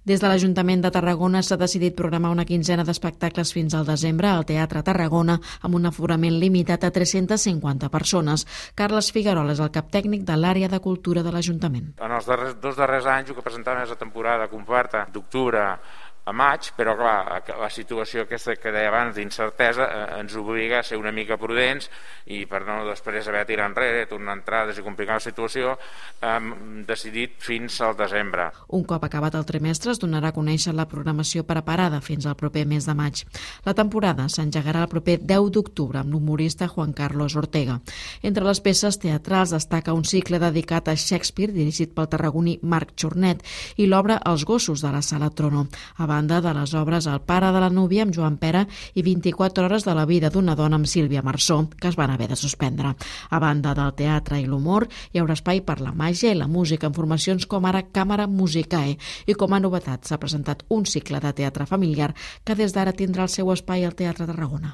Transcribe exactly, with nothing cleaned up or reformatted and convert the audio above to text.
Des de l'Ajuntament de Tarragona s'ha decidit programar una quinzena d'espectacles fins al desembre al Teatre Tarragona amb un aforament limitat a tres-centes cinquanta persones. Carles Figuerola és el cap tècnic de l'àrea de cultura de l'Ajuntament. En els darrers, dos darrers anys el que presentàvem és la temporada completa d'octubre a maig, però clar, la situació aquesta que deia abans d'incertesa eh, ens obliga a ser una mica prudents i per no després haver de tirar enrere, tornar entrades i complicar la situació, hem decidit fins al desembre. Un cop acabat el trimestre es donarà a conèixer la programació preparada fins al proper mes de maig. La temporada s'engegarà el proper deu d'octubre amb l'humorista Juan Carlos Ortega. Entre les peces teatrals destaca un cicle dedicat a Shakespeare dirigit pel tarragoní Marc Chornet i l'obra Els gossos de la Sala Trono. A banda de les obres El pare de la núvia amb Joan Pera i vint-i-quatre hores de la vida d'una dona amb Sílvia Marsó, que es van haver de suspendre. A banda del teatre i l'humor, hi haurà espai per la màgia i la música en formacions com ara Càmera Musicae, i com a novetat s'ha presentat un cicle de teatre familiar que des d'ara tindrà el seu espai al Teatre Tarragona.